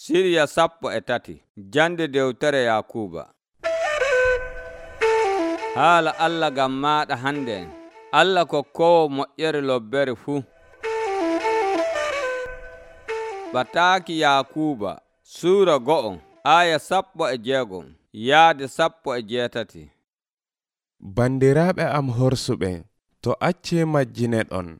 Siriya 13 jande dewtere Yakuuba. Haala Allah ngam maaɗa hande. Allah kokkowo moƴƴere lobbere fuu. Bataaki Yakuuba Suura 1 aya 16 yaade 18. Bandiraaɓe am horsuɓe, to accee majjineɗon,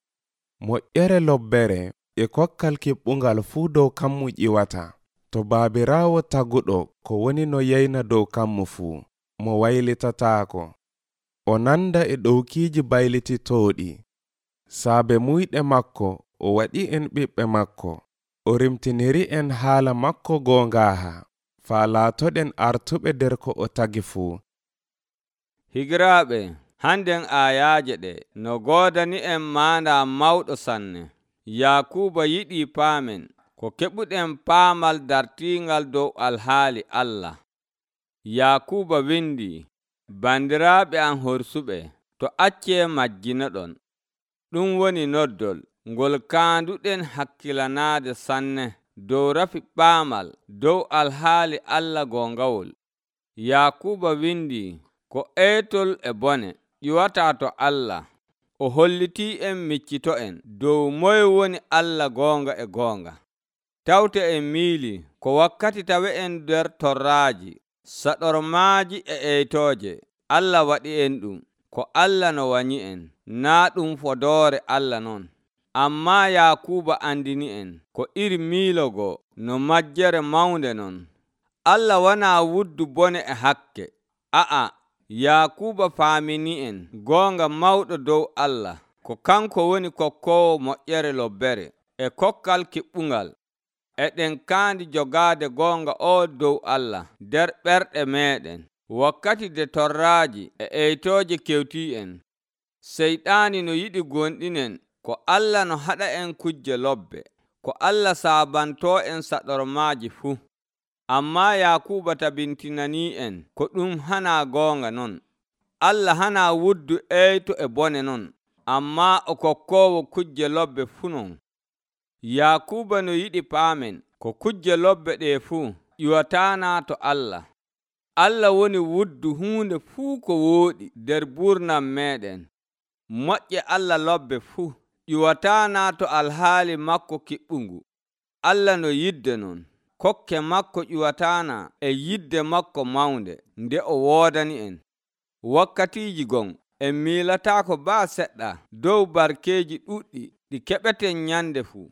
moƴƴere lobbere e kokkal kiɓɓungal fuu dow kammu ƴiwata. To baabiraawo taguɗo ko woni no yeyna dow kammu fuu, mo waylitataako, o nanda e ɗowkiiji baylititooɗi. Saabe muyɗe makko o waɗi en ɓiɓɓe makko, o rimtiniri en haala makko goongaaha, faa laatoɗen artuɓe nder ko o tagi fuu. Higiraaɓe, handen aayaaje ɗe no goodani en maanda mawɗo sanne. Yakuuba yiɗi paamen ko keɓuɗen paamal dartiingal dow alhaali Allah. Yakuuba windi, bandiraaɓe am horsuɓe, to accee majjinaɗon. Ɗum woni noddol ngol kaanduɗen hakkilanaade sanne dow rafi paamal dow alhaali Allah goongawol. Yakuuba windi ko eytol e bone ƴiwataa to Allah. O hollitii en miccito'en dow moye woni Allah goonga e goonga. Tawte en miili ko wakkati tawe'en nder torraaji, saɗormaaji e eytooje. Allah waɗi en ɗum ko Allah no wanyi en, naa ɗum fodoore Allah non. Ammaa Yakuuba andini en ko iri miilogo no majjere mawnde non. Allah wanaa wuddu bone e hakke. Yakuuba faamini en goonga mawɗo dow Allah, ko kanko woni kokkowo moƴƴere lobbere e kokkal kiɓɓungal. Eɗen kaandi jogaade goonga o dow Allah nder ɓerɗe meeɗen, wakkati de torraaji e eytooje kewtii en. Seyɗaani no yiɗi gonɗinen ko Allah no haɗa en kujje lobbe, ko Allah saabantoo en saɗormaaji fuu. Ammaa Yakuuba tabintinanii en ko ɗum hanaa goonga non. Allah hanaa wuddu eyto e bone non, ammaa o kokkoowo kujje lobbe fuu non. Yakuuba no yiɗi paamen ko kujje lobbe ɗe fuu ƴiwataanaa to Allah. Allah woni wuddu huunde fuu ko wooɗi nder burnam meeɗen. Moƴƴe Allah lobbe fuu ƴiwataanaa to alhaali makko kiɓɓungu. Allah no yidde non. Kokke makko ƴiwataana e yidde makko mawnde nde o woodani en. Wakkatiiji gon en miilataako baa seɗɗa dow barkeeji ɗuɗɗi ɗi keɓeten nyande fuu.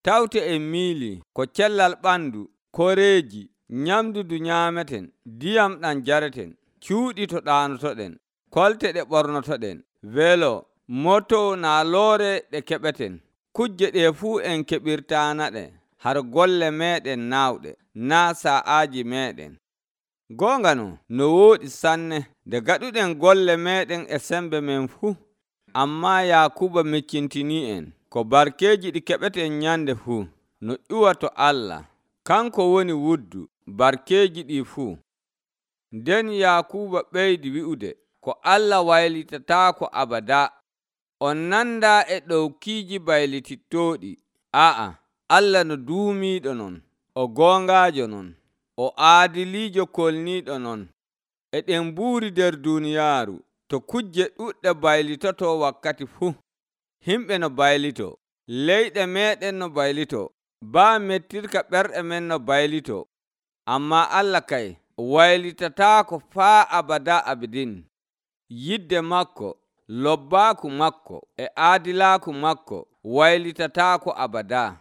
Tawte en miili ko cellal ɓandu, koreeji, nyamdu ndu nyaameten, ndiyam ɗam jareten, cuuɗi to ɗaanotoɗen, kolte ɗe ɓornotoɗen, welo, moto naa loore ɗe keɓeten. Kujje ɗe fuu en keɓirtaanaɗe har golle meeɗen naawɗe, naa sa'aaji meeɗen. Goonga no wooɗi sanne nde gaɗuɗen golle meeɗen e sembe men fuu. Ammaa Yakuuba miccintinii en ko barkeeji ɗi keɓeten nyande fuu no ƴuwa to Allah. Kanko woni wuddu barkeeji ɗi fuu. Nden Yakuuba ɓeydi wi'ude ko Allah waylitataako abada. On nandaa e ɗowkiiji baylitittooɗi. Allah no duumiiɗo non, o goongaajo non, o aadiliijo kolniiɗo non. Eɗen mbuuri nder duuniyaaru to kujje ɗuɗɗe baylitoto wakkati fuu. Himɓe no baylito, leyɗe meeɗen no baylito, baa mettirka ɓerɗe men no baylito. Ammaa Allah kay waylitataako faa abada abidin. Yidde makko, lobbaaku makko e aadilaaku makko waylitataako abada.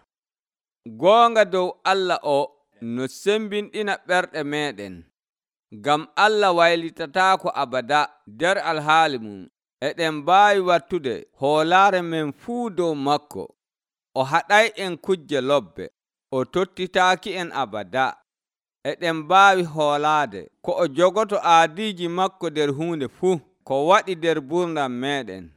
Goonga dow Allah o no sembinɗina ɓerɗe meeɗen. Ngam Allah waylitataako abada nder alhaali mum, eɗen mbaawi wattude hoolaare men fuu dow makko. O haɗay en kujje lobbe, o tottitaaki en abada. Eɗen mbaawi hoolaade ko o jogoto aadiiji makko nder huunde fuu ko waɗi nder burnam meeɗen.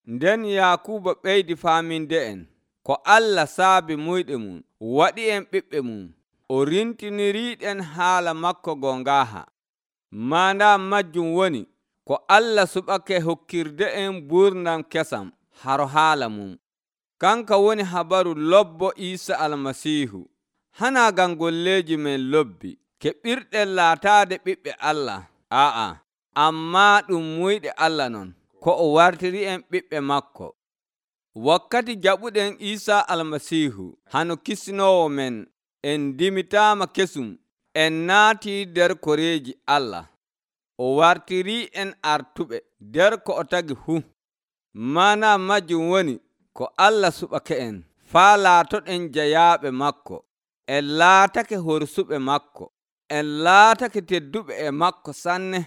Nden Yakuuba ɓeydi faaminde en ko Allah saabi muyɗe mum, waɗi en ɓiɓɓe mum, o rintiniriiɗen haala makko goongaaha. Maanda majjum woni ko Allah suɓake hokkirde en burnam kesam haro haala mum. Kanka woni habaru lobbo Iisa Almasiihu. hana ngam golleeji men lobbi keɓirɗen laataade ɓiɓɓe Allah. Ammaa ɗum muyɗe Allah non, ko o wartiri en ɓiɓɓe makko. Wakkati jaɓuɗen Iisaa Almasiihu hano kisnoowo men, en dimitaama kesum, en naatii nder koreeji Allah. O wartirii en artuɓe nder ko o tagi fuu. Mana majjum woni ko Allah suɓake en faa laatoɗen jayaaɓe makko. En laatake horsuɓe makko. En laatake tedduɓe e makko sanne.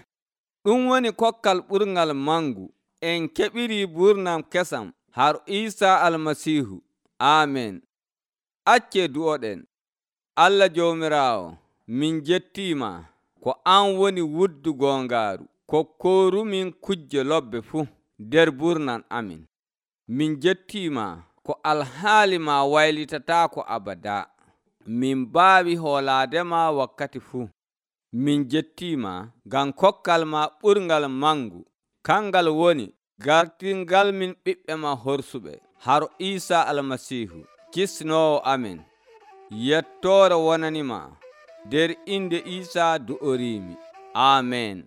Ɗum woni kokkal ɓurngal mangu. En keɓirii burnam kesam har Iisaa Almasiihu. Aamen. Accee du'oɗen. Allah Joomiraawo, min jettiima ko an woni wuddu goongaaru kokkoorumin kujje lobbe fuu nder burnam amin. Min jettiima ko alhaali ma waylitataako abada. Min mbaawi hoolaadema wakkati fuu. Min jettiima ngam kokkal ma ɓurngal mangu, kangal woni gartingal min ɓiɓɓe ma horsuɓe haro Iisaa Almasiihu kisnoowo amin. Yettoore wonanima nder inde Iisaa du'oriimi. Aamen.